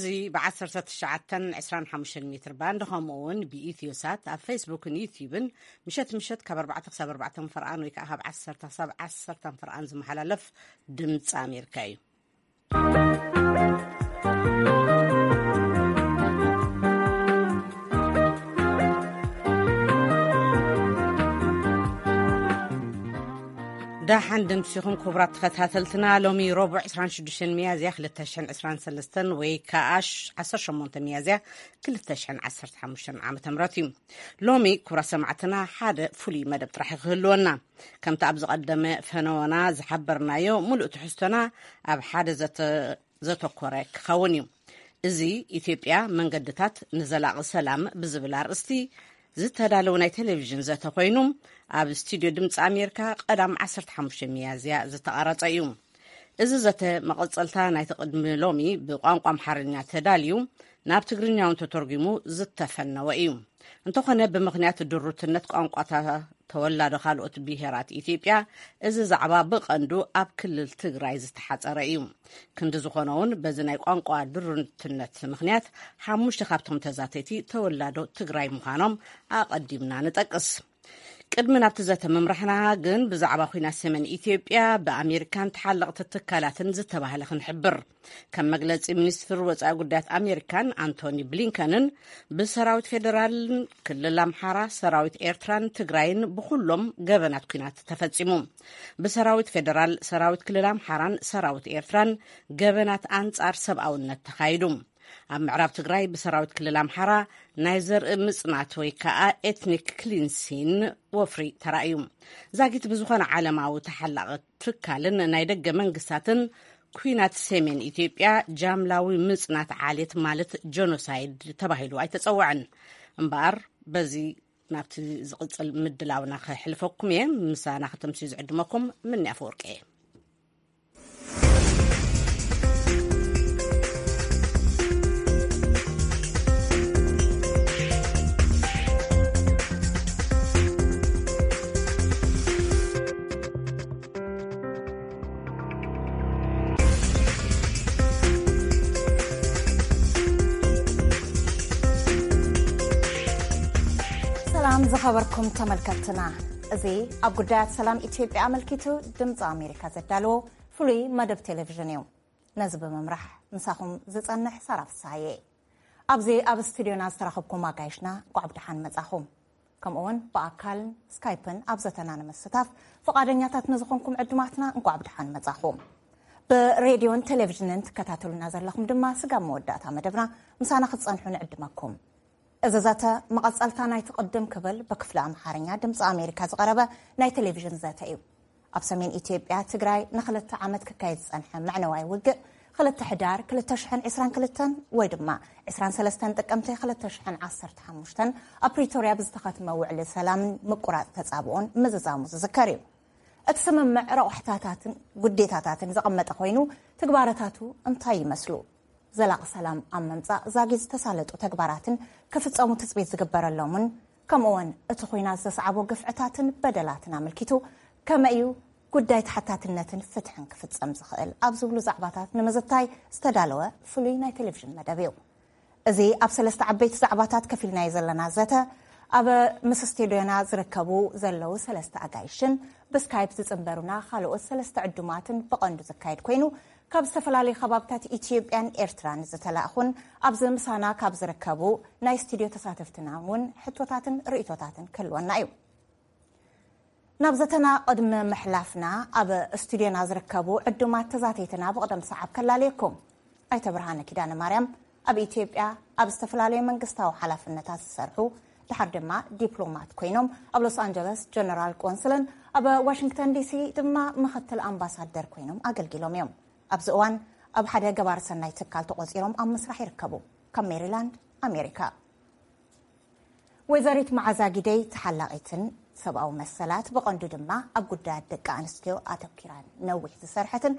እዚ ብ1925 ሜትር ባንድ ከምኡ እውን ብኢትዮሳት ኣብ ፌስቡክን ዩቲዩብን ምሸት ምሸት ካብ ኣርባዕተ ክሳብ ኣርባዕተ ፈርቓን ወይ ከዓ ካብ ዓሰርተ ክሳብ ዓሰርተ ፈርቓን ዝመሓላለፍ ድምፂ ኣሜሪካ እዩ። ደሓን ድምሲኹም ክቡራት ተኸታተልትና። ሎሚ ረቡዕ ዕስራን ሽዱሽተን ሚያዝያ ክልተ ሽሕን ዕስራን ሰለስተን ወይ ከዓ ዓሰርተ ሸሞንተ ሚያዝያ ክልተ ሽሕን ዓሰርተ ሓሙሽተን ዓመተ ምህረት እዩ። ሎሚ ክቡራት ሰማዕትና ሓደ ፍሉይ መደብ ጥራሕ ክህልወና፣ ከምቲ ኣብ ዝቐደመ ፈነወና ዝሓበርናዮ፣ ሙሉእ ትሕዝቶና ኣብ ሓደ ዘተ ዘተኮረ ክኸውን እዩ። እዚ ኢትዮጵያ መንገድታት ንዘላቒ ሰላም ብዝብል ኣርእስቲ ዝተዳለወ ናይ ቴሌቪዥን ዘተ ኮይኑ፣ ኣብ ስቱድዮ ድምፂ ኣሜሪካ ቀዳም ዓሰርተ ሓሙሽተ ሚያዝያ ዝተቐረጸ እዩ። እዚ ዘተ መቐጸልታ ናይቲ ቅድሚ ሎሚ ብቋንቋ ኣምሓርኛ ተዳልዩ ናብ ትግርኛ እውን ተተርጒሙ ዝተፈነወ እዩ። እንተኾነ ብምኽንያት ድሩትነት ቋንቋታት ተወላዶ ካልኦት ብሄራት ኢትዮጵያ እዚ ዛዕባ ብቐንዱ ኣብ ክልል ትግራይ ዝተሓጸረ እዩ። ክንዲ ዝኾነ እውን በዚ ናይ ቋንቋ ድሩትነት ምኽንያት ሓሙሽተ ካብቶም ተዛተይቲ ተወላዶ ትግራይ ምዃኖም ኣቐዲምና ንጠቅስ። ቅድሚ ናብቲ ዘተ ምምራሕና ግን ብዛዕባ ኲናት ሰሜን ኢትዮጵያ ብኣሜሪካን ተሓለቕቲ ትካላትን ዝተባህለ ክንሕብር። ከም መግለጺ ሚኒስትር ወጻኢ ጉዳያት ኣሜሪካን ኣንቶኒ ብሊንከንን ብሰራዊት ፌዴራልን ክልል ኣምሓራ፣ ሰራዊት ኤርትራን ትግራይን ብኹሎም ገበናት ኲናት ተፈጺሙ። ብሰራዊት ፌዴራል፣ ሰራዊት ክልል ኣምሓራን ሰራዊት ኤርትራን ገበናት ኣንጻር ሰብኣውነት ተኻይዱ። ኣብ ምዕራብ ትግራይ ብሰራዊት ክልል ኣምሓራ ናይ ዘርኢ ምጽናት ወይ ከዓ ኤትኒክ ክሊንሲን ወፍሪ ተራእዩ። ዛጊት ብዝኾነ ዓለማዊ ተሓላቒ ትካልን ናይ ደገ መንግስታትን ኲናት ሰሜን ኢትዮጵያ ጃምላዊ ምጽናት ዓሌት ማለት ጀኖሳይድ ተባሂሉ ኣይተጸውዐን። እምበኣር በዚ ናብቲ ዝቕጽል ምድላውና ከሕልፈኩም እየ። ምሳና ከተምስዩ ዝዕድመኩም ምኒ ኣፈወርቂ እየ። ሰላም ዝኸበርኩም ተመልከትትና፣ እዚ ኣብ ጉዳያት ሰላም ኢትዮጵያ ኣመልኪቱ ድምፂ ኣሜሪካ ዘዳለዎ ፍሉይ መደብ ቴሌቪዥን እዩ። ነዚ ብምምራሕ ምሳኹም ዝጸንሕ ሳራ ፍስሃየ። ኣብዚ ኣብ ስቱድዮና ዝተረኸብኩም ኣጋይሽና እንቋዕ ብደሓን መጻኹም። ከምኡውን ብኣካልን ስካይፕን ኣብ ዘተና ንምስታፍ ፍቓደኛታት ንዝኾንኩም ዕዱማትና እንቋዕ ብደሓን መጻኹም። ብሬድዮን ቴሌቪዥንን ትከታተሉና ዘለኹም ድማ ስጋብ መወዳእታ መደብና ምሳና ክትጸንሑ ንዕድመኩም። እዚ ዘተ መቐጸልታ ናይቲ ቅድም ክብል ብክፍሊ ኣምሓርኛ ድምፂ ኣሜሪካ ዝቐረበ ናይ ቴሌቪዥን ዘተ እዩ። ኣብ ሰሜን ኢትዮጵያ ትግራይ ንክልተ ዓመት ክካየድ ዝጸንሐ መዕነዋይ ውግእ ክልተ ሕዳር ክልተ ሽሕን ዕስራን ክልተን ወይ ድማ ዕስራን ሰለስተን ጥቅምቲ ክልተ ሽሕን ዓሰርተ ሓሙሽተን ኣብ ፕሪቶርያ ብዝተኸትመ ውዕሊ ሰላምን ምቁራጽ ተጻብኦን ምዝዛሙ ዝዝከር እዩ። እቲ ስምምዕ ረቑሕታታትን ጉዴታታትን ዘቐመጠ ኮይኑ፣ ትግባረታቱ እንታይ ይመስሉ? ዘላቒ ሰላም ኣብ ምምጻእ ዛጊት ዝተሳለጡ ተግባራትን ክፍጸሙ ትጽቢት ዝግበረሎምን፣ ከምኡውን እቲ ኹናት ዘስዓቦ ግፍዕታትን በደላትን ኣመልኪቱ ከመይ እዩ ጉዳይ ተሓታትነትን ፍትሕን ክፍጸም ዝኽእል ኣብ ዝብሉ ዛዕባታት ንምዝታይ ዝተዳለወ ፍሉይ ናይ ቴሌቪዥን መደብ እዩ። እዚ ኣብ ሰለስተ ዓበይቲ ዛዕባታት ከፊልናዮ ዘለና ዘተ፣ ኣብ ምስ ስቱድዮና ዝርከቡ ዘለዉ ሰለስተ ኣጋይሽን ብስካይፕ ዝጽንበሩና ካልኦት ሰለስተ ዕዱማትን ብቐንዱ ዝካየድ ኮይኑ፣ ካብ ዝተፈላለዩ ከባብታት ኢትዮጵያን ኤርትራን ዝተላእኹን ኣብዚ ምሳና ካብ ዝርከቡ ናይ ስቱድዮ ተሳተፍትና እውን ሕቶታትን ርእይቶታትን ክህልወና እዩ። ናብ ዘተና ቅድሚ ምሕላፍና ኣብ ስቱድዮና ዝርከቡ ዕዱማት ተዛተይትና ብቕደም ሰዓብ ከላለየኩም። ኣይተ ብርሃነ ኪዳነ ማርያም ኣብ ኢትዮጵያ ኣብ ዝተፈላለዩ መንግስታዊ ሓላፍነታት ዝሰርሑ፣ ድሓር ድማ ዲፕሎማት ኮይኖም ኣብ ሎስ ኣንጀለስ ጀነራል ቆንስልን ኣብ ዋሽንግተን ዲሲ ድማ ምኽትል ኣምባሳደር ኮይኖም ኣገልጊሎም እዮም። ኣብዚ እዋን ኣብ ሓደ ገባር ሰናይ ትካል ተቖጺሮም ኣብ ምስራሕ ይርከቡ። ካብ ሜሪላንድ ኣሜሪካ። ወይዘሪት መዓዛ ጊደይ ተሓላቒትን ሰብኣዊ መሰላት፣ ብቐንዱ ድማ ኣብ ጉዳያት ደቂ ኣንስትዮ ኣተኪራን ነዊሕ ዝሰርሐትን፣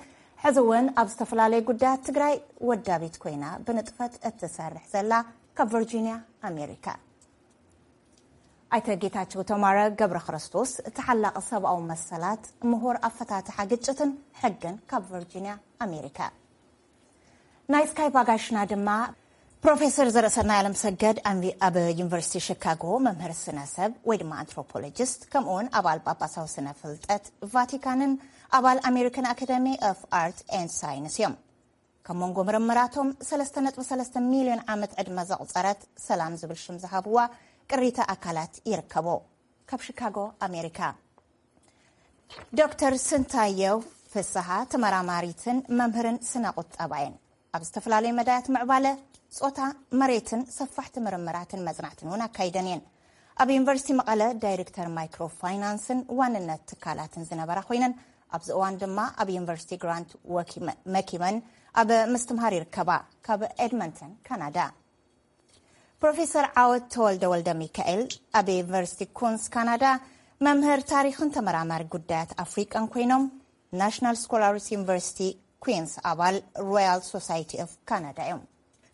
ሕዚ እውን ኣብ ዝተፈላለዩ ጉዳያት ትግራይ ወዳቢት ኮይና ብንጥፈት እትሰርሕ ዘላ ካብ ቨርጂንያ ኣሜሪካ። ኣይተ ጌታቸው ተማረ ገብረ ክርስቶስ ተሓላቒ ሰብኣዊ መሰላት፣ ምሁር ኣፈታትሓ ግጭትን ሕግን ካብ ቨርጂንያ ኣሜሪካ። ናይ ስካይፕ ኣጋይሽና ድማ ፕሮፌሰር ዘርእሰናይ ኣለምሰገድ ኣንቪ-፣ ኣብ ዩኒቨርሲቲ ሺካጎ መምህር ስነ ሰብ ወይ ድማ ኣንትሮፖሎጂስት፣ ከምኡውን ኣባል ጳጳሳዊ ስነ ፍልጠት ቫቲካንን ኣባል ኣሜሪካን ኣካደሚ ኦፍ ኣርት ኤንድ ሳይንስ እዮም። ካብ መንጎ ምርምራቶም ሰለስተ ነጥቢ ሰለስተ ሚልዮን ዓመት ዕድመ ዘቑጸረት ሰላም ዝብል ሽም ዝሃብዋ ቅሪተ ኣካላት ይርከቦ። ካብ ሺካጎ ኣሜሪካ። ዶክተር ስንታየው ፍስሃ ተመራማሪትን መምህርን ስነ ቁጠባ እየን። ኣብ ዝተፈላለዩ መዳያት ምዕባለ ጾታ፣ መሬትን ሰፋሕቲ ምርምራትን መጽናዕትን እውን ኣካይደን እየን። ኣብ ዩኒቨርሲቲ መቐለ ዳይሬክተር ማይክሮ ፋይናንስን ዋንነት ትካላትን ዝነበራ ኮይነን፣ ኣብዚ እዋን ድማ ኣብ ዩኒቨርሲቲ ግራንት ወኪመ-፣ መኪመን ኣብ ምስትምሃር ይርከባ። ካብ ኤድመንተን ካናዳ። ፕሮፌሰር ዓወት ተወልደ ወልደ ሚካኤል ኣብ ዩኒቨርሲቲ ኩንስ ካናዳ መምህር ታሪኽን ተመራማሪ ጉዳያት ኣፍሪቃን ኮይኖም፣ ናሽናል ስኮላርስ ዩኒቨርሲቲ ኩንስ ኣባል ሮያል ሶሳይቲ ኦፍ ካናዳ እዮም።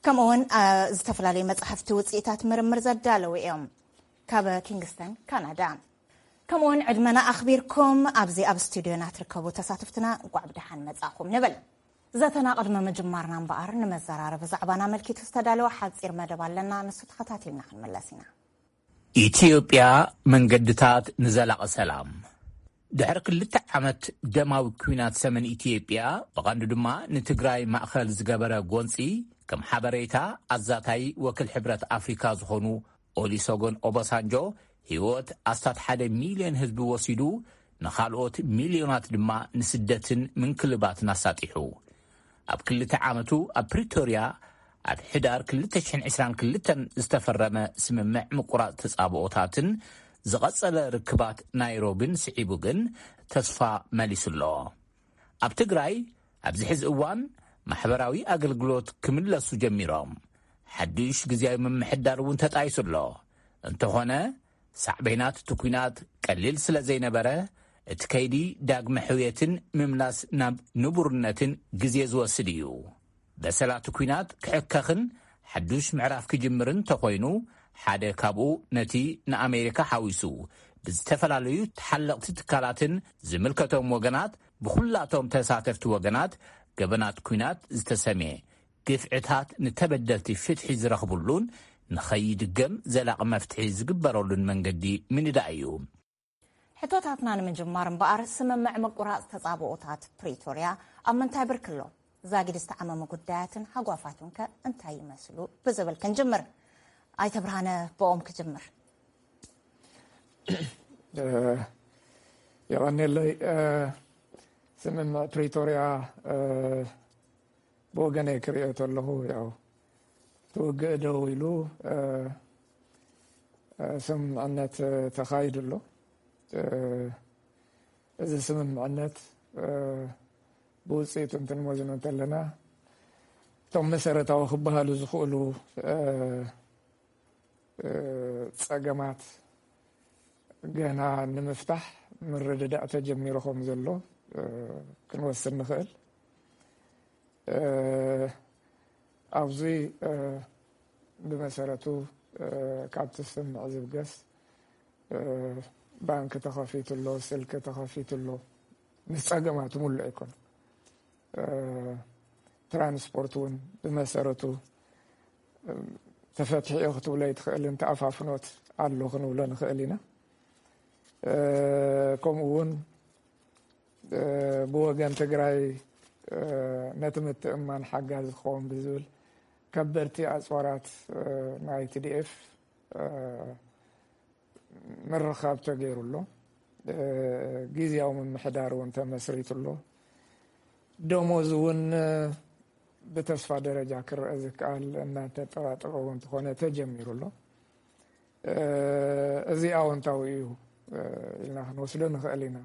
ከምኡውን አ፣ ዝተፈላለዩ መጻሕፍቲ ውጽኢታት ምርምር ዘዳለዉ እዮም። ካብ ኪንግስተን ካናዳ። ከምኡውን ዕድመና ኣኽቢርኩም ኣብዚ ኣብ ስቱድዮና ትርከቡ ተሳተፍትና እንቋዕ ብደሓን መጻእኹም ንብል። ዘተና ቅድሚ ምጅማርና እምበኣር፣ ንመዘራረቢ ዛዕባና ኣመልኪቱ ዝተዳለወ ሓጺር መደብ ኣለና፣ ንሱ ተኸታቲልና ክንምለስ ኢና። ኢትዮጵያ፣ መንገድታት ንዘላቒ ሰላም። ድሕሪ ክልተ ዓመት ደማዊ ኲናት ሰሜን ኢትዮጵያ፣ ብቐንዱ ድማ ንትግራይ ማእከል ዝገበረ ጎንጺ፣ ከም ሓበሬታ ኣዛታይ ወኪል ሕብረት ኣፍሪካ ዝኾኑ ኦሊሶጎን ኦባሳንጆ፣ ህይወት ኣስታት ሓደ ሚልዮን ህዝቢ ወሲዱ፣ ንኻልኦት ሚልዮናት ድማ ንስደትን ምንክልባትን ኣሳጢሑ። ኣብ ክልተ ዓመቱ ኣብ ፕሪቶርያ ኣብ ሕዳር ክልተ ሽሕን ዕስራን ክልተን ዝተፈረመ ስምምዕ ምቁራጽ ተጻብኦታትን ዝቐጸለ ርክባት ናይሮቢን ስዒቡ ግን ተስፋ መሊሱ ኣሎ። ኣብ ትግራይ ኣብዚ ሕዚ እዋን ማሕበራዊ ኣገልግሎት ክምለሱ ጀሚሮም፣ ሓድሽ ግዝያዊ ምምሕዳር እውን ተጣይሱ ኣሎ። እንተኾነ ሳዕቤናት እቲ ኲናት ቀሊል ስለ ዘይነበረ፣ እቲ ከይዲ ዳግመ ሕውየትን ምምላስ ናብ ንቡርነትን ግዜ ዝወስድ እዩ። በሰላ እቲ ኲናት ክሕከኽን ሓዱሽ ምዕራፍ ክጅምርን እንተኾይኑ፣ ሓደ ካብኡ ነቲ ንኣሜሪካ ሓዊሱ ብዝተፈላለዩ ተሓለቕቲ ትካላትን ዝምልከቶም ወገናት ብኹላቶም ተሳተፍቲ ወገናት ገበናት ኲናት ዝተሰምየ ግፍዕታት ንተበደልቲ ፍትሒ ዝረኽብሉን ንኸይድገም ዘላቒ መፍትሒ ዝግበረሉን መንገዲ ምንዳእ እዩ። ሕቶታትና ንምጅማር እምበኣር፣ ስምምዕ ምቁራጽ ተጻብኦታት ፕሪቶርያ ኣብ ምንታይ ብርኪ ኣሎ? ዛጊድ ዝተዓመሙ ጉዳያትን ሃጓፋቱን ከ እንታይ ይመስሉ? ብዝብል ክንጅምር። ኣይተ ብርሃነ፣ ብኦም ክጅምር። እ፣ የቐኔለይ። እ፣ ስምምዕ ፕሪቶርያ፣ እ፣ ብወገነይ ክሪኦ ተለኹ፣ ያው እቲ ውግእ ደው ኢሉ፣ እ፣ እ፣ ስምምዕነት ተኻይዱ ኣሎ። እ፣ እዚ ስምምዕነት፣ እ፣ ብውፅኢቱ እንትንመዝኖ እንተለና፣ እቶም መሰረታዊ ክበሃሉ ዝኽእሉ፣ እ፣ እ፣ ጸገማት ገና ንምፍታሕ ምርድዳእ ተጀሚሩ ከም ዘሎ፣ እ፣ ክንወስድ ንኽእል። እ፣ ኣብዚ፣ እ፣ ብመሰረቱ፣ እ፣ ካብቲ ስምምዕ ዝብገስ፣ እ፣ ባንክ ተኸፊቱ ኣሎ፣ ስልኪ ተኸፊቱ ኣሎ። ምስ ጸገማቱ ምሉእ ኣይኮነን። እ፣ ትራንስፖርት እውን ብመሰረቱ፣ እ፣ ተፈትሒኡ ክትብሎ ኣይትኽእልን፣ ተኣፋፍኖት ኣሎ ክንብሎ ንኽእል ኢና። እ፣ ከምኡ እውን፣ እ፣ ብወገን ትግራይ፣ እ፣ ነቲ ምትእምማን ሓጋዚ ክኸውን ብዝብል ከበድቲ ኣፅዋራት፣ እ፣ ናይ ቲ ዲ ኤፍ፣ እ፣ ምርኻብ ተገይሩ ኣሎ። እ፣ ግዝያዊ ምምሕዳር እውን ተመስሪቱ ኣሎ። ደሞዝ እውን፣ እ፣ ብተስፋ ደረጃ ክረአ ዝከኣል እናተጠራጠረ እውን እንተኾነ ተጀሚሩ ኣሎ። እ፣ እዚ ኣወንታዊ እዩ፣ እ፣ ኢልና ክንወስዶ ንኽእል ኢና።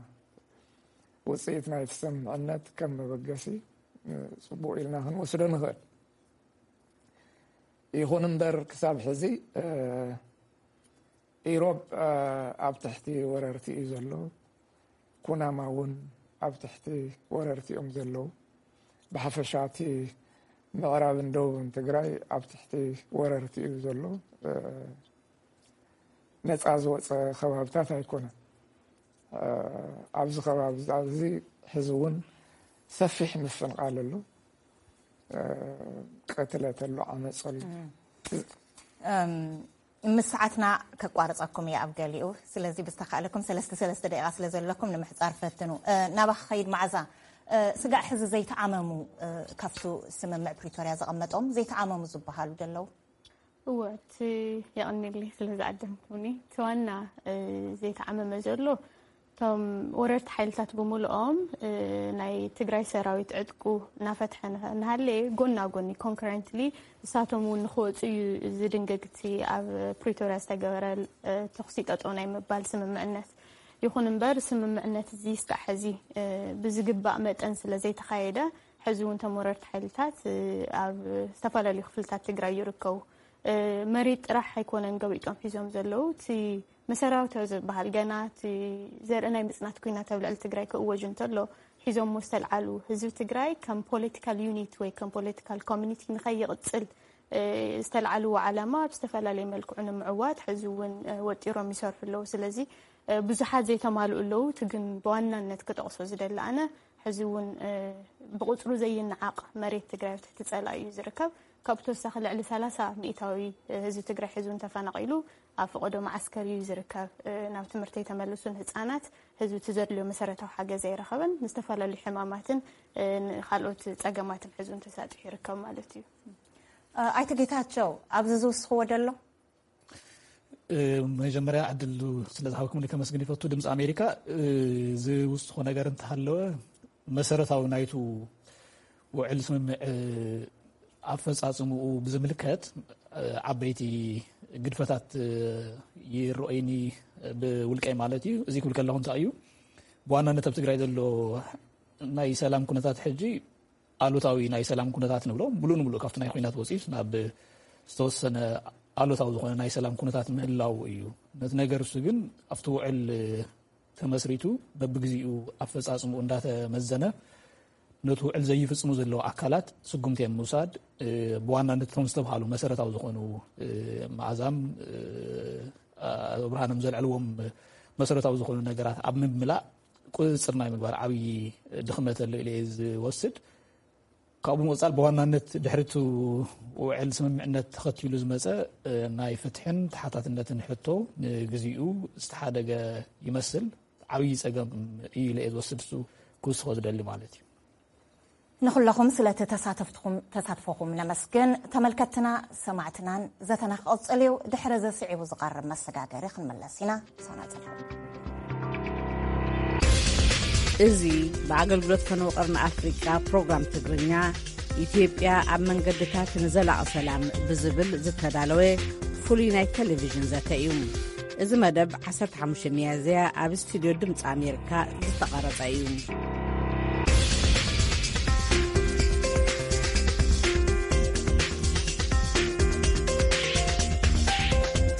ውፅኢት ናይቲ ስምምዕነት ከም መበገሲ፣ እ፣ ፅቡቕ ኢልና ክንወስዶ ንኽእል። ይኹን እምበር ክሳብ ሕዚ፣ እ፣ ኢሮብ፣ እ፣ ኣብ ትሕቲ ወረርቲ እዩ ዘሎ። ኩናማ እውን ኣብ ትሕቲ ወረርቲ እዮም ዘለዉ። ብሓፈሻ እቲ ምዕራብን ደቡብን ትግራይ ኣብ ትሕቲ ወረርቲ እዩ ዘሎ። እ፣ ነፃ ዝወፀ ከባብታት ኣይኮነን። እ፣ ኣብዚ ከባቢ ኣብዚ ሕዚ እውን ሰፊሕ ምፍንቓል ኣሎ። ቅትለት ኣሎ፣ ዓመፅ ኣሎ። እም፣ ምስ ሰዓትና ከቋርፀኩም እየ ኣብ ገሊኡ። ስለዚ ብዝተኻእለኩም ሰለስተ ሰለስተ ደቂቓ ስለ ዘለኩም ንምሕፃር ፈትኑ። እ፣ ናባኺ ኸይድ መዓዛ። እ፣ ስጋዕ ሕዚ ዘይተዓመሙ፣ እ፣ ካብቱ ስምምዕ ፕሪቶርያ ዘቐመጦም ዘይተዓመሙ ዝበሃሉ ደለዉ? እወ፣ እቲ የቐንየለይ ስለ ዝዓደምኩምኒ። እቲ ዋና፣ እ፣ ዘይተዓመመ ዘሎ እቶም ወረርቲ ሓይልታት ብምልኦም፣ እ፣ ናይ ትግራይ ሰራዊት ዕጥቁ እናፈትሐ ንኸ-፣ እናሃለየ ጎና ጎኒ፣ ኮንክረንትሊ፣ ንሳቶም እውን ንክወፁ እዩ ዝድንግግ እቲ ኣብ ፕሪቶርያ ዝተገበረ፣ እ፣ ተኹሲ ጠጠው ናይ ምባል ስምምዕነት። ይኹን እምበር ስምምዕነት እዚ እስካዕ ሕዚ፣ እ፣ ብዝግባእ መጠን ስለ ዘይተኻየደ፣ ሕዚ እውን እቶም ወረርቲ ሓይልታት፣ እ፣ ኣብ ዝተፈላለዩ ክፍልታት ትግራይ ይርከቡ። እ፣ መሬት ጥራሕ ኣይኮነን ገቢጦም ሒዞም ዘለዉ፣ እቲ መሰረታዊ ዝበሃል ገና እቲ ዘርኢ ናይ ምጽናት ኲናት ኣብ ልዕሊ ትግራይ ክእወጅ እንተሎ ሒዞሞ ዝተልዓሉ፣ ህዝቢ ትግራይ ከም ፖለቲካል ዩኒት ወይ ከም ፖለቲካል ኮሚኒቲ ንኸይቕጽል፣ እ፣ ዝተልዓልዎ ዓላማ ኣብ ዝተፈላለየ መልክዑ ንምዕዋት ሕዚ እውን፣ እ፣ ወጢሮም ይሰርሑ ኣለዉ። ስለዚ፣ እ፣ ብዙሓት ዘይተማልኡ ኣለዉ። እቲ ግን ብዋናነት ክጠቕሶ ዝደሊ ኣነ፣ ሕዚ እውን፣ እ፣ ብቁጽሩ ዘይነዓቕ መሬት ትግራይ ኣብ ትሕቲ ጸላኢ እዩ ዝርከብ። ካብኡ ተወሳኺ ልዕሊ ሰላሳ ሚእታዊ ህዝቢ ትግራይ ሕዚ እውን ተፈናቒሉ ኣብ ፈቐዶ መዓስከር እዩ ዝርከብ። እ፣ ናብ ትምህርቲ ኣይተመልሱን ህጻናት፣ ህዝቢ እቲ ዘድልዮ መሰረታዊ ሓገዝ ኣይረኸበን። ንዝተፈላለዩ ሕማማትን፣ እ፣ ንኻልኦት ጸገማትን ሕዚ እውን ተሳጢሑ ይርከብ ማለት እዩ። እ፣ ኣይተ ጌታቸው፣ ኣብዚ ዝውስኽዎ ደሎ? እ፣ መጀመርያ ዕድል ስለ ዝሃብኩምኒ ከመስግን ይፈቱ። ድምፂ ኣሜሪካ፣ እ፣ ዝውስኾ ነገር እንተሃለወ፣ መሰረታዊ ናይቱ ውዕል ስምምዕ፣ እ፣ ኣፈጻጽምኡ ብዝምልከት፣ እ፣ ዓበይቲ ግድፈታት፣ እ፣ ይረኣዩኒ፣ ብውልቀይ ማለት እዩ። እዚ ክብል ከለኹ እንታይ እዩ፣ ብዋናነት ኣብ ትግራይ ዘሎ ናይ ሰላም ኩነታት ሕጂ ኣሉታዊ ናይ ሰላም ኩነታት ንብሎ፣ ምሉእ ንምሉእ ካብቲ ናይ ኲናት ወፂኡ ናብ ዝተወሰነ ኣሉታዊ ዝኾነ ናይ ሰላም ኩነታት ምህላው እዩ። ነቲ ነገር እሱ ግን ኣብቲ ውዕል ተመስሪቱ በብግዚኡ ኣፈጻጽምኡ እንዳተመዘነ፣ ነቲ ውዕል ዘይፍጽሙ ዘለዉ ኣካላት ስጉምቲ ምውሳድ፣ እ፣ ብዋናነት እቶም ዝተብሃሉ መሰረታዊ ዝኾኑ፣ እ፣ መዓዛም፣ እ፣ ኣቶ ብርሃኖም ዘልዐልዎም መሰረታዊ ዝኾኑ ነገራት ኣብ ምምላእ ቁጽጽር ናይ ምግባር ዓብዪ ድኽመት ኣሎ ኢለ እየ ዝወስድ። ካብኡ ምቕጻል ብዋናነት ድሕሪ እቲ ውዕል ስምምዕነት ተኸቲሉ ዝመጸ፣ እ፣ ናይ ፍትሕን ተሓታትነትን ሕቶ ንግዚኡ ዝተሓደገ ይመስል። ዓብዪ ጸገም እዩ ኢለ እየ ዝወስድ፣ እሱ ክውስኾ ዝደሊ ማለት እዩ። ንኹለኹም ስለቲ ተሳተፍትኹም፣ ተሳትፎኹም ነመስግን። ተመልከትትና፣ ሰማዕትናን ዘተና ክቕጽል እዩ። ድሕሪ እዚ ስዒቡ ዝቐርብ መሰጋገሪ ክንምለስ ኢና። ምሳና ጽንሑ። እዚ ብኣገልግሎት ፈነወ ቀርኒ ኣፍሪቃ ፕሮግራም ትግርኛ፣ ኢትዮጵያ ኣብ መንገድታት ንዘላቒ ሰላም ብዝብል ዝተዳለወ ፍሉይ ናይ ቴሌቪዥን ዘተ እዩ። እዚ መደብ ዓሰርተ ሓሙሽተ ሚያዝያ ኣብ ስቱድዮ ድምፂ ኣሜሪካ ዝተቐረጸ እዩ።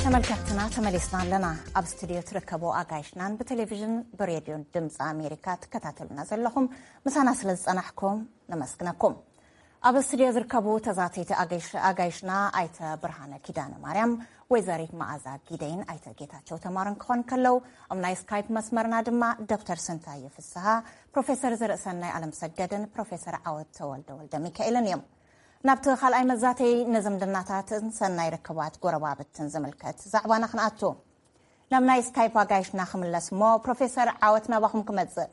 ተመልከትትና፣ ተመሊስና ኣለና። ኣብ ስቱድዮ ትርከቡ ኣጋይሽናን ብቴሌቪዥን ብሬድዮን ድምፂ ኣሜሪካ ትከታተሉና ዘለኹም፣ ምሳና ስለ ዝጸናሕኩም ነመስግነኩም። ኣብ ስቱድዮ ዝርከቡ ተዛተይቲ ኣጋይሽ-፣ ኣጋይሽና ኣይተ ብርሃነ ኪዳነ ማርያም፣ ወይዘሪት መዓዛ ጊደይን ኣይተ ጌታቸው ተማርን ክኾን ከለው፣ ኣብ ናይ ስካይፕ መስመርና ድማ ዶክተር ስንታየ ፍስሃ፣ ፕሮፌሰር ዘርእሰናይ ኣለምሰገድን ፕሮፌሰር ዓወት ተወልደ ወልደ ሚካኤልን እዮም። ናብቲ ካልኣይ መዛተይ ንዝምድናታትን ሰናይ ርክባት ጎረባብትን ዝምልከት ዛዕባና ክንኣቱ። ናብ ናይ ስካይፕ ኣጋይሽና ክምለስ እሞ፣ ፕሮፌሰር ዓወት ናባኹም ክመጽእ።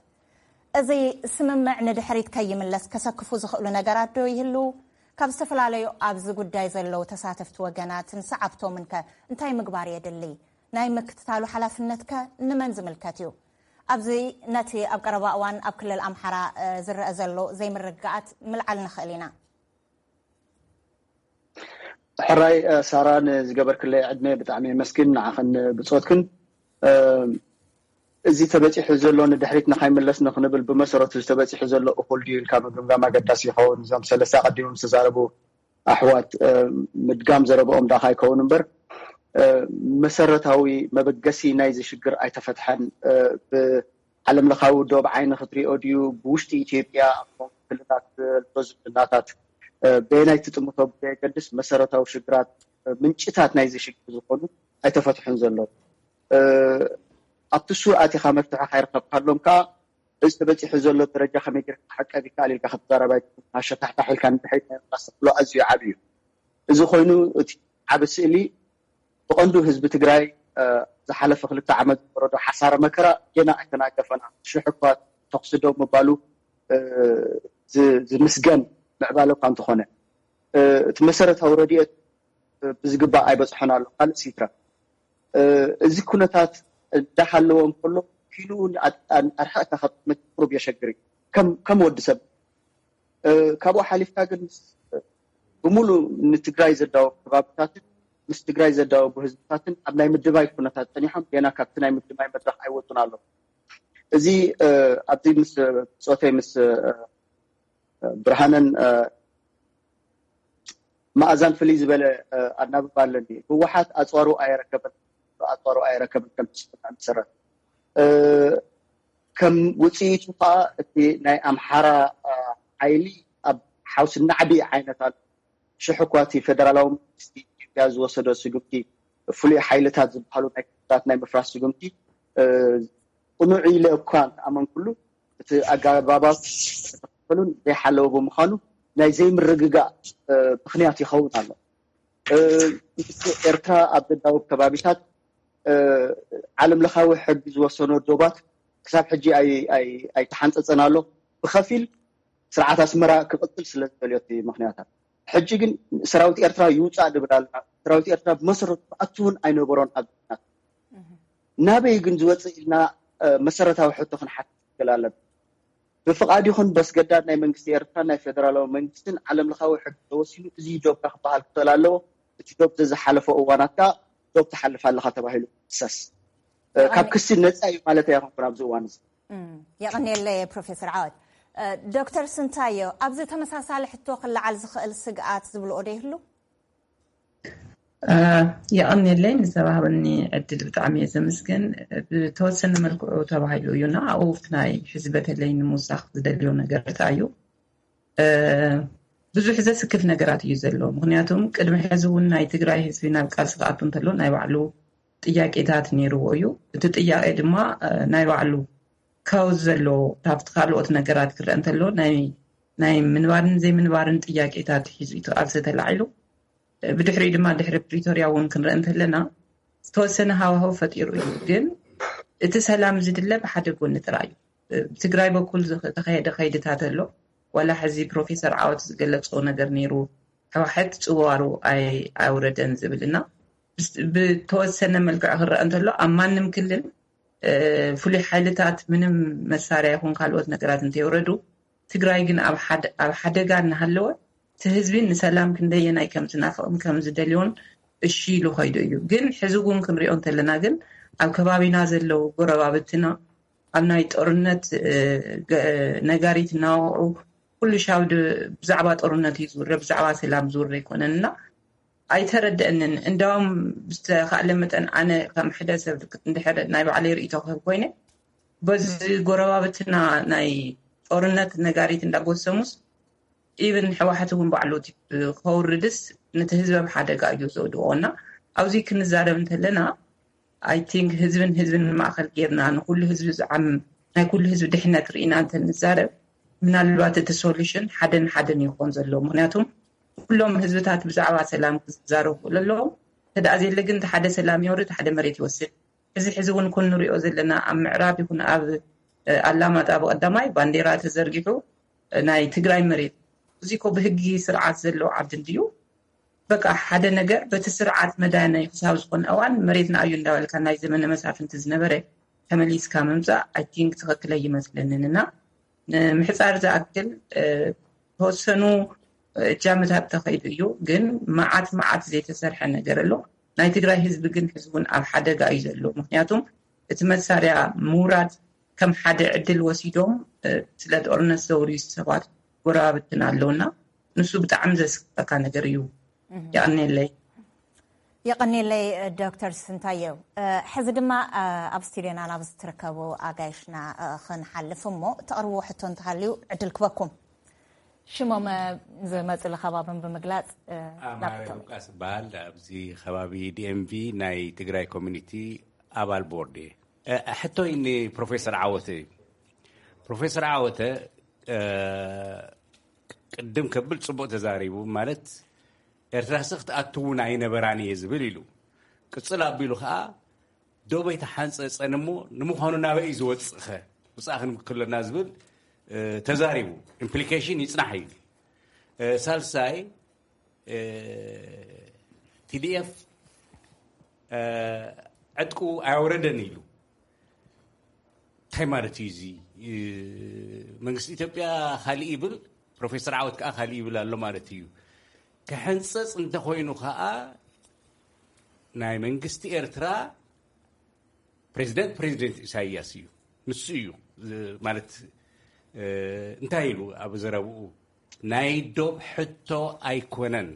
እዚ ስምምዕ ንድሕሪት ከይምለስ ከሰክፉ ዝኽእሉ ነገራት ዶ ይህልዉ? ካብ ዝተፈላለዩ ኣብዚ ጉዳይ ዘለዉ ተሳተፍቲ ወገናትን ሰዓብቶምን ከ እንታይ ምግባር የድሊ? ናይ ምክትታሉ ሓላፍነት ከ ንመን ዝምልከት እዩ? ኣብዚ ነቲ ኣብ ቀረባ እዋን ኣብ ክልል ኣምሓራ፣ እ፣ ዝረአ ዘሎ ዘይምርግጋኣት ምልዓል ንኽእል ኢና። ሕራይ፣ እ፣ ሳራ፣ ንዝገበርክለይ ዕድመ ብጣዕሚ የመስግን፣ ንዓኽን ብጾትክን። እ፣ እዚ ተበጺሑ ዘሎ ንድሕሪት ንኸይምለስ ንኽንብል ብመሰረቱ እዚ ተበጺሑ ዘሎ እኹል ድዩ ኢልካ ምግምጋም ኣገዳሲ ይኸውን። እዞም ሰለስተ ኣቐዲሞም ዝተዛረቡ ኣሕዋት፣ እ፣ ምድጋም ዘረብኦም ዳኻ ኣይከውን እምበር፣ እ፣ መሰረታዊ መበገሲ ናይዚ ሽግር ኣይተፈትሐን። እ፣ ብዓለም ለኻዊ ዶብ ዓይኒ ክትሪኦ ድዩ፣ ብውሽጢ ኢትዮጵያ ኣብ መንጎ ክልላት ዘሎ ዝምድናታት፣ እ፣ በየናይ ትጥምቶ ብዘየገድስ መሰረታዊ ሽግራት፣ እ፣ ምንጭታት ናይዚ ሽግር ዝኾኑ ኣይተፈትሑን ዘለዉ። እ፣ ኣብቲ እሱ ኣቲኻ መፍትሒ ካይረኸብካሎም ከኣ እዚ ተበፂሑ ዘሎ ደረጃ ከመይ ጌርካ ክዕቀብ ይከኣል ኢልካ ክትዛረብ ኣይትኽእልን። ኣሸታሕታሕ ኢልካ ንድሕሪት ናይ ምምላስ ተኽእሎ ኣዝዩ ዓብዪ እዩ። እዚ ኮይኑ እቲ ዓቢ ስእሊ ብቐንዱ ህዝቢ ትግራይ ዝሓለፈ ክልተ ዓመት ዝወረዶ ሓሳረ መከራ ጌና ኣይተናገፈና። ሽሕ እኳ ተኹሲ ደው ምባሉ ዝምስገን ምዕባለ እኳ እንተኾነ፣ እቲ መሰረታዊ ረድኤት ብዝግባእ ኣይበፅሖን ኣሎ። ካልእ ሲትራ እዚ ኩነታት እንዳሃለወ እንከሎ፣ ኢሉ ኣርሕቕካ ክትመት ቁሩብ የሸግር እዩ ከም ወዲ ሰብ። ካብኡ ሓሊፍካ ግን ብምሉእ ንትግራይ ዘዳወቡ ከባብታትን ምስ ትግራይ ዘዳወቡ ህዝብታትን ኣብ ናይ ምድባይ ኩነታት ፀኒሖም ገና ካብቲ ናይ ምድባይ መድረክ ኣይወፁን ኣለዉ። እዚ ኣብዚ ምስ ብፆተይ ምስ ብርሃነን መኣዛን ፍልይ ዝበለ ኣናብባ ኣለኒ። ህወሓት ኣፅዋሩ ኣየረከበን ኣፅዋሩ ኣየረከበን ከም ትስፍና መሰረት ከም ውፅኢቱ ከዓ እቲ ናይ ኣምሓራ ሓይሊ ኣብ ሓውሲ ናዕቢ ዓይነት ኣሎ። ሽሕ እኳ እቲ ፌደራላዊ መንግስቲ ኢትዮጵያ ዝወሰዶ ስጉምቲ፣ ፍሉይ ሓይልታት ዝበሃሉ ናይ ክልላት ናይ ምፍራስ ስጉምቲ ቅኑዕ ኢለ እኳ እንተኣመንኩሉ፣ እቲ ኣገባባት ዝተኸተሉን ዘይሓለወ ብምዃኑ ናይ ዘይምርግጋእ ምኽንያት ይኸውን ኣሎ። ኤርትራ ኣብ ዘዳውብ ከባቢታት ዓለም ለኻዊ ሕጊ ዝወሰኖ ዶባት ክሳብ ሕጂ ኣይተሓንፀፀን ኣሎ። ብኸፊል ስርዓት ኣስመራ ክቕፅል ስለ ዝደልዮ እቲ ምኽንያታት። ሕጂ ግን ሰራዊት ኤርትራ ይውፃእ ድብል ኣለና። ሰራዊት ኤርትራ ብመሰረቱ ክኣቱ እውን ኣይነበሮን ኣብ ናት ናበይ ግን ዝወፅእ ኢልና መሰረታዊ ሕቶ ክንሓትት ክል ኣለና። ብፍቓድ ይኹን በስገዳድ ናይ መንግስቲ ኤርትራ ናይ ፌደራላዊ መንግስትን ዓለም ለኻዊ ሕጊ ተወሲኑ እዚ ዶብካ ክበሃል ክኽእል ኣለዎ። እቲ ዶብ ዘዝሓለፎ እዋናት ከዓ ዶብ ትሓልፍ ኣለኻ ተባሂሉ ክሰስ ካብ ክሲ ነፃ እዩ ማለት ኣይኮንኩን ኣብዚ እዋን እዚ። የቐንየለይ ፕሮፌሰር ዓወት። ዶክተር ስንታዮ፣ ኣብዚ ተመሳሳሊ ሕቶ ክለዓል ዝኽእል ስግኣት ዝብልኦ ዶ ይህሉ? የቐንየለይ ንዝተባህበኒ ዕድል ብጣዕሚ እየ ዘመስግን። ብተወሰነ መልክዑ ተባሂሉ እዩ እና ኣብኡ ናይ ሕዚ በተለይ ንምውሳኽ ዝደልዮ ነገር እንታይ እዩ? ብዙሕ ዘስክፍ ነገራት እዩ ዘሎ። ምክንያቱም ቅድሚ ሕዚ እውን ናይ ትግራይ ህዝቢ ናብ ቃልሲ ክኣቱ እንተሎ ናይ ባዕሉ ጥያቄታት ነይርዎ እዩ። እቲ ጥያቄ ድማ ናይ ባዕሉ ካውዝ ዘሎ ካብቲ ካልኦት ነገራት ክረአ እንተሎ ናይ ምንባርን ዘይምንባርን ጥያቄታት ሒዙ እዩ ቃልሲ ተላዒሉ። ብድሕሪኡ ድማ ድሕሪ ፕሪቶርያ እውን ክንረአ እንተለና ዝተወሰነ ሃዋህው ፈጢሩ እዩ። ግን እቲ ሰላም ዝድለ ብሓደ ጎኒ ጥራይ እዩ። ብትግራይ በኩል ዝተኸየደ ከይድታት ኣሎ። ዋላ ሕዚ ፕሮፌሰር ዓወት ዝገለፆ ነገር ነይሩ፣ ሕዋሕት ፅዋሩ ኣውረደን ዝብል እና ብተወሰነ መልክዕ ክረአ እንተሎ ኣብ ማንም ክልል ፍሉይ ሓይልታት ምንም መሳርያ ይኹን ካልኦት ነገራት እንተይወረዱ ትግራይ ግን ኣብ ሓደጋ እናሃለወ እቲ ህዝቢ ንሰላም ክንደየናይ ከም ዝናፍቕን ከም ዝደልዮን እሺ ኢሉ ከይዱ እዩ። ግን ሕዚ እውን ክንሪኦ እንተለና ግን ኣብ ከባቢና ዘለዉ ጎረባብትና ኣብ ናይ ጦርነት ነጋሪት እናወቕዑ ኩሉ ሻው ብዛዕባ ጦርነት እዩ ዝውረ፣ ብዛዕባ ሰላም ዝውረ ኣይኮነን እና ኣይተረደአንን። እንዳውም ብዝተኻእለ መጠን ኣነ ከም ሕደ ሰብ እንድሕር ናይ ባዕለይ ርእይቶ ክህብ ኮይነ በዚ ጎረባብትና ናይ ጦርነት ነጋሪት እንዳጎሰሙስ ኢብን ሕዋሕት እውን ባዕሉ ከውርድስ ነቲ ህዝቢ ኣብ ሓደጋ እዩ ዘውድቆ እና ኣብዚ ክንዛረብ እንተለና ኣይ ቲንክ ህዝብን ህዝብን ማእኸል ጌርና ንኩሉ ህዝቢ ዝዓም ናይ ኩሉ ህዝቢ ድሕነት ርኢና እንተንዛረብ ምናልባት እቲ ሶሉሽን ሓደን ሓደን ይኾን ዘሎ። ምክንያቱም ኩሎም ህዝብታት ብዛዕባ ሰላም ክዛረቡ ክእሉ ኣለዎም። ተደኣ ዘየለ ግን ሓደ ሰላም ይወርድ፣ ሓደ መሬት ይወስድ። እዚ ሕዚ እውን ኩን ንሪኦ ዘለና ኣብ ምዕራብ ይኹን ኣብ ኣላማጣ ብቐዳማይ ባንዴራ ተዘርጊሑ ናይ ትግራይ መሬት እዚ ኮ ብህጊ ስርዓት ዘለዎ ዓዲ እንድዩ። በቃ ሓደ ነገር በቲ ስርዓት መዳነይ ክሳብ ዝኾነ እዋን መሬትና እዩ እንዳበልካ ናይ ዘመነ መሳፍንቲ ዝነበረ ተመሊስካ ምምፃእ ኣይ ቲንክ ትኽክል ኣይመስለንን እና ንምሕፃር ዝኣክል ተወሰኑ እጃምታት ተኸይዱ እዩ። ግን መዓት መዓት ዘይተሰርሐ ነገር ኣሎ። ናይ ትግራይ ህዝቢ ግን ሕዚ እውን ኣብ ሓደጋ እዩ ዘሎ። ምክንያቱም እቲ መሳርያ ምውራድ ከም ሓደ ዕድል ወሲዶም ስለ ጦርነት ዘውርዩ ሰባት ጎረባብትና ኣለውና ንሱ ብጣዕሚ ዘስክፈካ ነገር እዩ። ይቐንየለይ። የቐንየለይ ዶክተር ስንታየው። ሕዚ ድማ ኣብ ስቱድዮና ናብ ዝትርከቡ ኣጋይሽና ክንሓልፍ እሞ ተቕርብዎ ሕቶ እንተሃልዩ ዕድል ክበኩም። ሽሞም ዝመፅሉ ከባብን ብምግላፅ ኣማረ ሉቃስ በሃል ኣብዚ ከባቢ ዲኤምቪ ናይ ትግራይ ኮሚኒቲ ኣባል ቦርድ እየ። ሕቶይ ንፕሮፌሰር ዓወት እዩ። ፕሮፌሰር ዓወተ ቅድም ከብል ጽቡቕ ተዛሪቡ። ማለት ኤርትራ ስኽ ትኣትውን ኣይነበራን እየ ዝብል ኢሉ። ቅጽል ኣቢሉ ከዓ ዶበይ ተሓንፀፀን እሞ ንምዃኑ ናበይ እዩ ዝወፅእኸ ውፃእ ክንብል ከለና ዝብል ተዛሪቡ። ኢምፕሊኬሽን ይፅናሕ እዩ። ሳልሳይ፣ ቲዲኤፍ ዕጥቁ ኣያወረደን ኢሉ። እንታይ ማለት እዩ እዚ? መንግስቲ ኢትዮጵያ ካሊእ ይብል፣ ፕሮፌሰር ዓወት ከዓ ካሊእ ይብል ኣሎ ማለት እዩ። ክሕንፀፅ እንተኮይኑ ከዓ ናይ መንግስቲ ኤርትራ ፕሬዚደንት ፕሬዚደንት ኢሳያስ እዩ። ንሱ እዩ ማለት እንታይ ኢሉ ኣብ ዘረብኡ ናይ ዶብ ሕቶ ኣይኮነን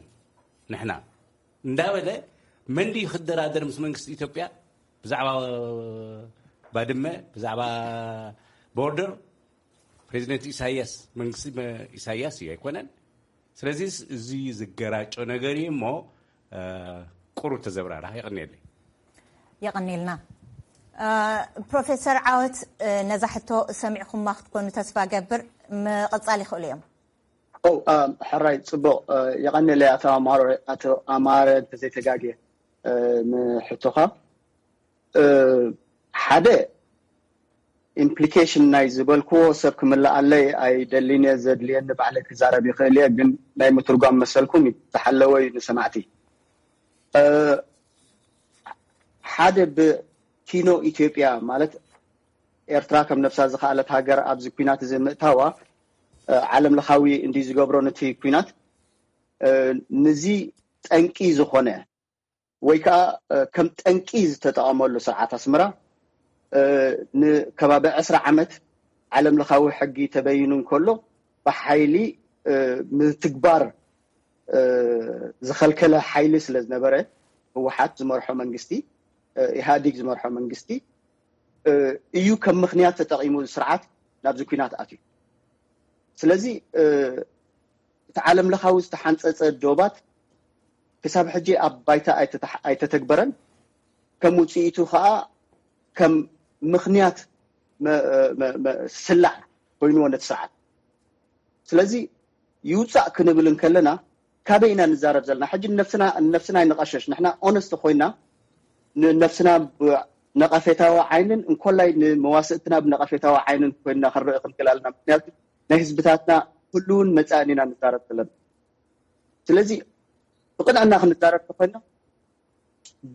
ንሕና እንዳበለ፣ መን ድዩ ክደራደር ምስ መንግስቲ ኢትዮጵያ ብዛዕባ ባድመ፣ ብዛዕባ ቦርደር? ፕሬዚደንት ኢሳያስ መንግስቲ ኢሳያስ እዩ ኣይኮነን። ስለዚ እዚ ዝገራጮ ነገር እዩ እሞ ቁሩብ ተዘብራራ። የቐንየለይ። የቐንየልና። ፕሮፌሰር ዓወት፣ ነዛ ሕቶ ሰሚዕኩማ ክትኮኑ ተስፋ ገብር። ምቕጻል ይኽእሉ እዮም። ሕራይ፣ ጽቡቕ። የቐንየለይ ኣቶ ኣማረ፣ ኣቶ ኣማረ እንተዘይተጋግየ ንሕቶኻ። ሓደ ኢምፕሊኬሽን ናይ ዝበልክዎ ሰብ ክምልኣለይ ኣይደሊን እየ። ዘድልየኒ ባዕለይ ክዛረብ ይኽእል እየ፣ ግን ናይ ምትርጓም መሰልኩም ዝሓለወ እዩ ንሰማዕቲ። ሓደ ብኪኖ ኢትዮጵያ ማለት ኤርትራ ከም ነብሳ ዝኸኣለት ሃገር ኣብዚ ኲናት እዚ ምእታዋ ዓለም ለኻዊ እንዲ ዝገብሮ ነቲ ኲናት ንዚ ጠንቂ ዝኾነ ወይ ከዓ ከም ጠንቂ ዝተጠቐመሉ ስርዓት ኣስመራ ንከባቢ ዕስራ ዓመት ዓለም ለኻዊ ሕጊ ተበይኑ እንከሎ ብሓይሊ ምትግባር ዝኸልከለ ሓይሊ ስለ ዝነበረ ህወሓት ዝመርሖ መንግስቲ፣ ኢህኣዲግ ዝመርሖ መንግስቲ እዩ ከም ምኽንያት ተጠቒሙ ስርዓት ናብዚ ኲናት ኣትዩ። ስለዚ እቲ ዓለም ለኻዊ ዝተሓንፀፀ ዶባት ክሳብ ሕጂ ኣብ ባይታ ኣይተተግበረን። ከም ውፅኢቱ ከዓ ከም ምኽንያት ስላዕ ኮይንዎ ነቲ ስርዓት። ስለዚ ይውፃእ ክንብል እንከለና ካበይ ኢና ንዛረብ ዘለና? ሕጂ ንነብስና ንነብስና ኣይንቐሸሽ። ንሕና ኦነስት ኮይና ንነብስና ብነቐፌታዊ ዓይንን እንኮላይ ንመዋስእትና ብነቐፌታዊ ዓይንን ኮይንና ክንርኢ ክንክእል ኣለና። ምክንያቱ ናይ ህዝብታትና ህልውን መጻእን ኢና ንዛረብ ዘለና። ስለዚ ብቕንዕና ክንዛረብ ተኮይና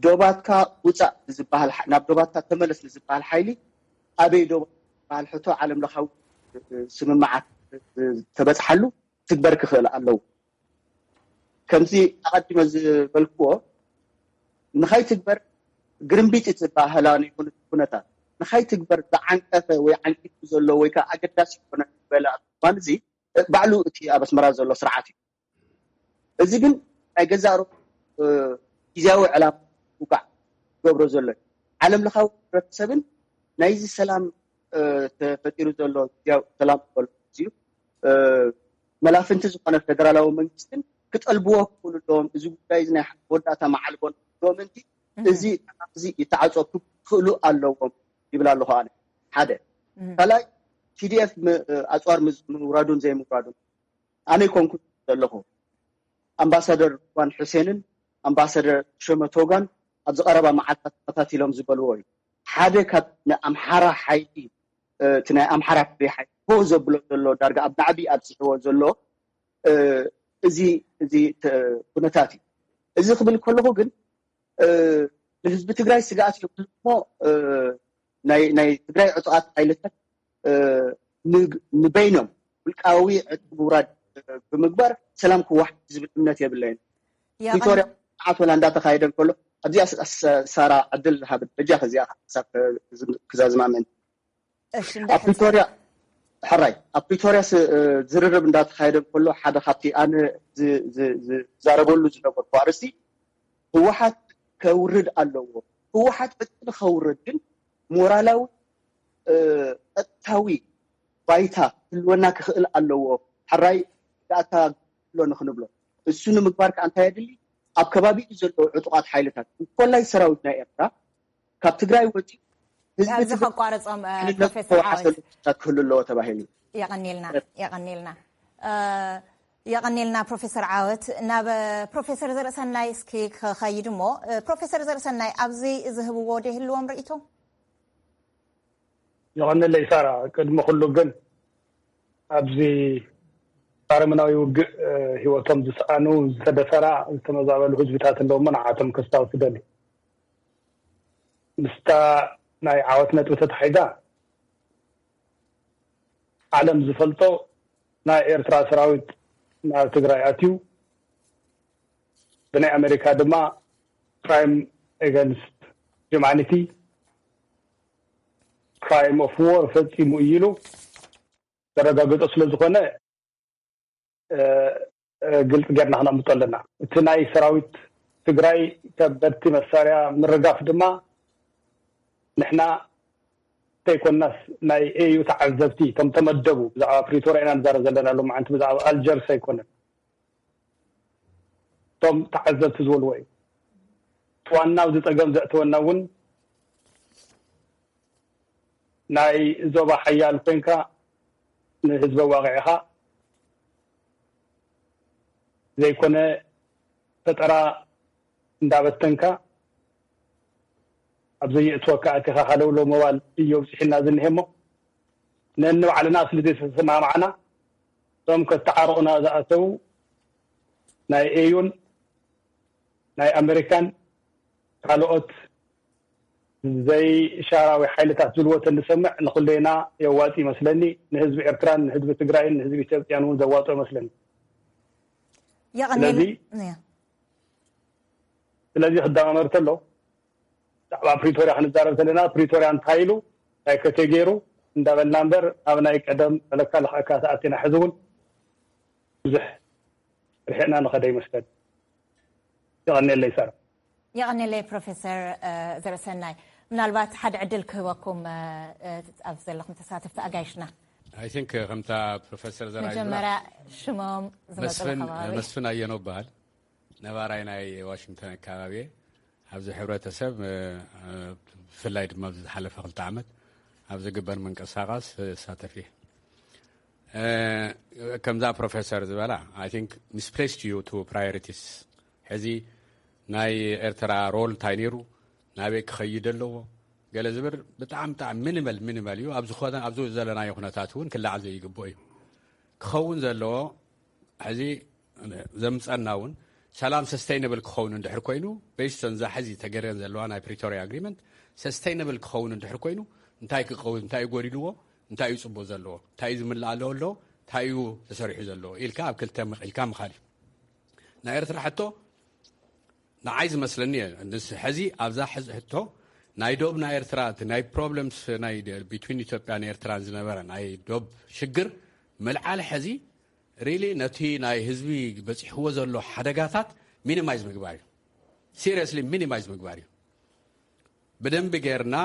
ዶባትካ ውፃእ ንዝበሃል ናብ ዶባትካ ተመለስ ንዝበሃል ሓይሊ ኣበይ ዶባት ዝበሃል ሕቶ ዓለም ለኻዊ ስምምዓት ተበፅሓሉ ትግበር ክኽእል ኣለዎ። ከምዚ ኣቐዲመ ዝበልክዎ ንኸይትግበር ግርምቢጥ እቲ ባህላ ኩነታት ንኸይትግበር ዝዓንቀፈ ወይ ዓንቂፉ ዘሎ ወይ ከዓ ኣገዳሲ ይኮነ ዝበለ እዋን እዚ ባዕሉ እቲ ኣብ ኣስመራ ዘሎ ስርዓት እዩ። እዚ ግን ናይ ገዛእ ርእሱ ግዝያዊ ዕላማ ውጋዕ ዝገብሮ ዘሎ እዩ። ዓለም ለኻዊ ሕብረተሰብን ናይዚ ሰላም ተፈጢሩ ዘሎ ግዝያዊ ሰላም ዝበሎ እዩ መላፍንቲ ዝኾነ ፌደራላዊ መንግስትን ክጠልብዎ ክኽእሉ ኣለዎም። እዚ ጉዳይ እዚ ናይ መወዳእታ መዓልቦ ኣለዎም። እዚ እዚ ይተዓፀ ክኽእሉ ኣለዎም ይብል ኣለኹ ኣነ። ሓደ ካልኣይ ቲዲኤፍ ኣፅዋር ምውራዱን ዘይምውራዱን ኣነ ይኮንኩ ዘለኹ ኣምባሳደር ሩዋን ሑሴንን ኣምባሳደር ሸመቶጋን ኣብዚ ቀረባ መዓልታት ተኸታቲሎም ዝበልዎ እዩ። ሓደ ካብ ንኣምሓራ ሓይሊ እቲ ናይ ኣምሓራ ፍሪ ሓይሊ ሆ ዘብሎ ዘሎ ዳርጋ ኣብ ናዕቢ ኣብፅሕዎ ዘሎ እዚ እዚ ኩነታት እዩ። እዚ ክብል ከለኹ ግን ንህዝቢ ትግራይ ስግኣት እዮም እሞ ናይ ትግራይ ዕጡቓት ሓይልታት ንበይኖም ውልቃዊ ዕጥቂ ምውራድ ብምግባር ሰላም ክወሓድ ዝብል እምነት የብለይን። ፕሪቶርያ መዓት ወላ እንዳተኻየደ እንከሎ ኣብዚኣ ሳራ ዕድል ሃብ በጃ ከዚኣ ክዛዝማ ምእንቲ ኣብ ፕሪቶርያ ሕራይ ኣብ ፕሪቶርያ ዝርርብ እንዳተኻየደ እንከሎ ሓደ ካብቲ ኣነ ዝዛረበሉ ዝነበርኩ ኣርእስቲ ህወሓት ከውርድ ኣለዎ። ህወሓት ዕጥቂ ንኸውርድ ግን ሞራላዊ ቀጥታዊ ባይታ ክህልወና ክኽእል ኣለዎ። ሕራይ ዳእታ ኣሎ ንክንብሎ እሱ ንምግባር ከዓ እንታይ የድሊ? ኣብ ከባቢኡ ዘለዉ ዕጡቓት ሓይልታት እንኮላይ ሰራዊት ናይ ኤርትራ ካብ ትግራይ ወፂኡ ኣብዚ ከቋርጾም ፕሮፌሰር ዓወት ክህሉ ኣለዎ ተባሂሉ። የቐኒልና። የቐኒልና። የቐኒልና ፕሮፌሰር ዓወት። ናብ ፕሮፌሰር ዘርእሰናይ እስኪ ክኸይድ እሞ፣ ፕሮፌሰር ዘርእሰናይ ኣብዚ ዝህብዎ ዶ ይህልዎም ርእይቶ? የቐኒለይ ሳራ። ቅድሚ ኩሉ ግን ኣብዚ ኣረመናዊ ውግእ ህይወቶም ዝሰኣኑ፣ ዝተደፈራ፣ ዝተመዛበሉ ህዝብታት ኣለውሞ ንዓቶም ከስታውስ ደሊ። ምስታ ናይ ዓወት ነጥቢ ተታሒዛ ዓለም ዝፈልጦ ናይ ኤርትራ ሰራዊት ናብ ትግራይ ኣትዩ ብናይ ኣሜሪካ ድማ crime against humanity፣ crime of war ፈጺሙ እዩ ኢሉ ዘረጋገጾ ስለ ዝኾነ ግልጽ ጌርና ክነምጦ ኣለና። እቲ ናይ ሰራዊት ትግራይ ከበድቲ መሳርያ ምርጋፍ ድማ ንሕና ዘይኮናስ ናይ ኤዩ ተዓዘብቲ እቶም ተመደቡ ብዛዕባ ፕሪቶርያ ኢና ንዛረብ ዘለና ሎማዓንቲ ብዛዕባ ኣልጀርስ ኣይኮነን። እቶም ተዓዘብቲ ዝበልዎ እዩ። ዋና ኣብዚ ጸገም ዘእተወና እውን ናይ ዞባ ሓያል ኮይንካ ንህዝቢ ኣዋቂዕኻ ዘይኮነ ፈጠራ እንዳበተንካ ኣብ ዘየእትወካ ኣቲኻ ሃለውሎ ምባል እዩ ኣብፅሒና ዝኒሀ እሞ ነንባዕልና ስለ ዘይተሰማማዕና እቶም ከተዓርቑና ዝኣተው ናይ ኤዩን ናይ ኣሜሪካን ካልኦት ዘይሻራዊ ሓይልታት ዝልዎ ተንሰምዕ ንኩሌና የዋፂ ይመስለኒ። ንህዝቢ ኤርትራን ንህዝቢ ትግራይን ንህዝቢ ኢትዮጵያን እውን ዘዋፅኦ ይመስለኒ። ስለዚ ክዳማመር ተሎ ብዛዕባ ፕሪቶርያ ክንዛረብ ዘለና ፕሪቶርያ እንታይ ኢሉ እንታይ ከተ ገይሩ እንዳበልና እምበር ኣብ ናይ ቀደም መለካ ለክዐካ ተኣቲና ሕዚ እውን ብዙሕ ርሒቕና ንኸደ ይመስለኒ። የቐኒለይ ሳራ። የቐኒለይ ፕሮፌሰር ዘርእሰናይ። ምናልባት ሓደ ዕድል ክህበኩም ኣብ ዘለኹም ተሳተፍቲ ኣጋይሽና። I think ከምታ ፕሮፌሰር ዘርኣይ መጀመርያ ሽሞም ዝመፅሉ ከባቢ መስፍን ኣየኖ በሃል። ነባራይ ናይ ዋሽንግተን ኣካባቢ ኣብዚ ሕብረተሰብ ብፍላይ ድማ ኣብዚ ዝሓለፈ ክልተ ዓመት ኣብ ዝግበር ምንቅስቃስ ሳተፍ እየ። ከምዛ ፕሮፌሰር ዝበላ I think misplaced you to priorities። ሕዚ ናይ ኤርትራ ሮል እንታይ ነይሩ፣ ናበይ ክኸይድ ኣለዎ ገለ ዝብል ብጣዕሚ ብጣዕሚ ሚኒመል ሚኒመል እዩ። ኣብዚ ዘለናዮ ኩነታት እውን ክለዓል ዘይግብኦ እዩ። ክኸውን ዘለዎ ሕዚ ዘምፀና እውን ሰላም ሰስተይነብል ክኸውን እንድሕር ኮይኑ based on ዛ ሕዚ ተገረን ዘለዋ ናይ ፕሪቶሪያ ኣግሪመንት ሰስተይነብል ክኸውን እንድሕር ኮይኑ እንታይ ክኸውን እንታይ እዩ ጎዲልዎ እንታይ እዩ ፅቡቅ ዘለዎ እንታይ እዩ ዝምላእ ኣለዎ ኣለዎ እንታይ እዩ ተሰሪሑ ዘለዎ ኢልካ ኣብ ክልተ መቂልካ ምኻድ እዩ። ናይ ኤርትራ ሕቶ ንዓይ ዝመስለኒ ሕዚ ኣብዛ ሕቶ ናይ ዶብ ናይ ኤርትራ ናይ problems ናይ between ኢትዮጵያን ኤርትራን ዝነበረ ናይ ዶብ ሽግር ምልዓል ሕዚ really ነቲ ናይ ህዝቢ በፂሕዎ ዘሎ ሓደጋታት minimize ምግባር እዩ። Seriously minimize ምግባር እዩ። ብደንቢ ጌርና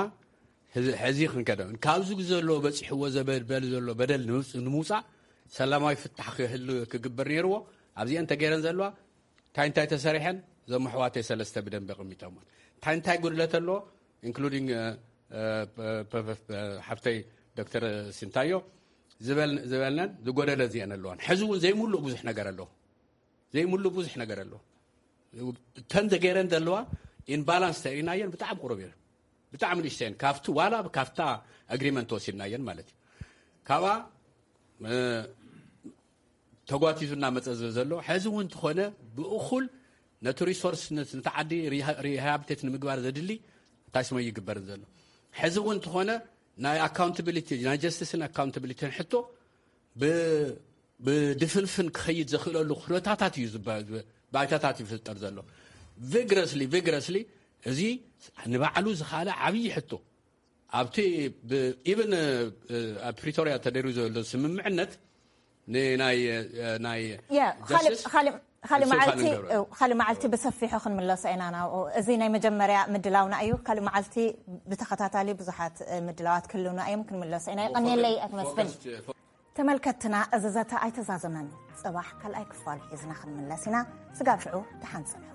ሕዚ ክንከደ ካብዚ ዘሎ በፂሕዎ ዘበል ዘሎ በደል ንምውፃእ ሰላማዊ ፍታሕ ክህሉ ክግበር ነይርዎ። ኣብዚአን ተገይረን ዘለዋ እንታይ እንታይ ተሰሪሐን እዞም ኣሕዋተይ ሰለስተ ብደንቢ ኣቐሚጦምዎን እንታይ እንታይ ጉድለት ኣለዎ including ሓፍተይ ዶክተር ሲንታዮ ዝበልነን ዝጎደለ እዚአን ኣለዋን። ሕዚ እውን ዘይምሉእ ብዙሕ ነገር ኣለዎ። ዘይምሉእ ብዙሕ ነገር ኣለዎ። እተን ተገይረን ዘለዋ in balance ተሪእናየን ብጣዕሚ ቁሩብ እየን። ብጣዕሚ ንእሽተየን ካብቲ ዋላ ካብታ ኣግሪመንት ወሲድናየን ማለት እዩ። ካብኣ ተጓቲቱ እናመፀ ዘሎ ሕዚ እውን እንተኾነ ብእኹል ነቲ ሪሶርስ ነቲ ዓዲ rehabilitate ንምግባር ዘድሊ እንታይ ስመ ይግበርን ዘሎ ሕዚ እውን እንተኾነ ናይ ኣካውንታብሊቲ ናይ ጀስቲስን ኣካውንታብሊቲን ሕቶ ብድፍንፍን ክኸይድ ዘኽእለሉ ኩነታታት እዩ ባይታታት ይፍጠር ዘሎ። Vigorously vigorously እዚ ንባዕሉ ዝኻለ ዓብዪ ሕቶ ኣብቲ even ኣብ ፕሪቶሪያ ተደሪዩ ዘሎ ስምምዕነት ካልእ መዓልቲ ብሰፊሑ ክንምለሶ ኢና ናብኡ። እዚ ናይ መጀመርያ ምድላውና እዩ። ካልእ መዓልቲ ብተኸታታሊ ብዙሓት ምድላዋት ክህልውና እዮም፣ ክንምለሶ ኢና። ይቐንየለይ ኣቶ መስፍን። ተመልከትና እዚ ዘተ ኣይተዛዘመን። ጽባሕ ካልኣይ ክፋል ሒዝና ክንምለስ ኢና። ስጋብ ሽዑ ደሓን ጽንሑ።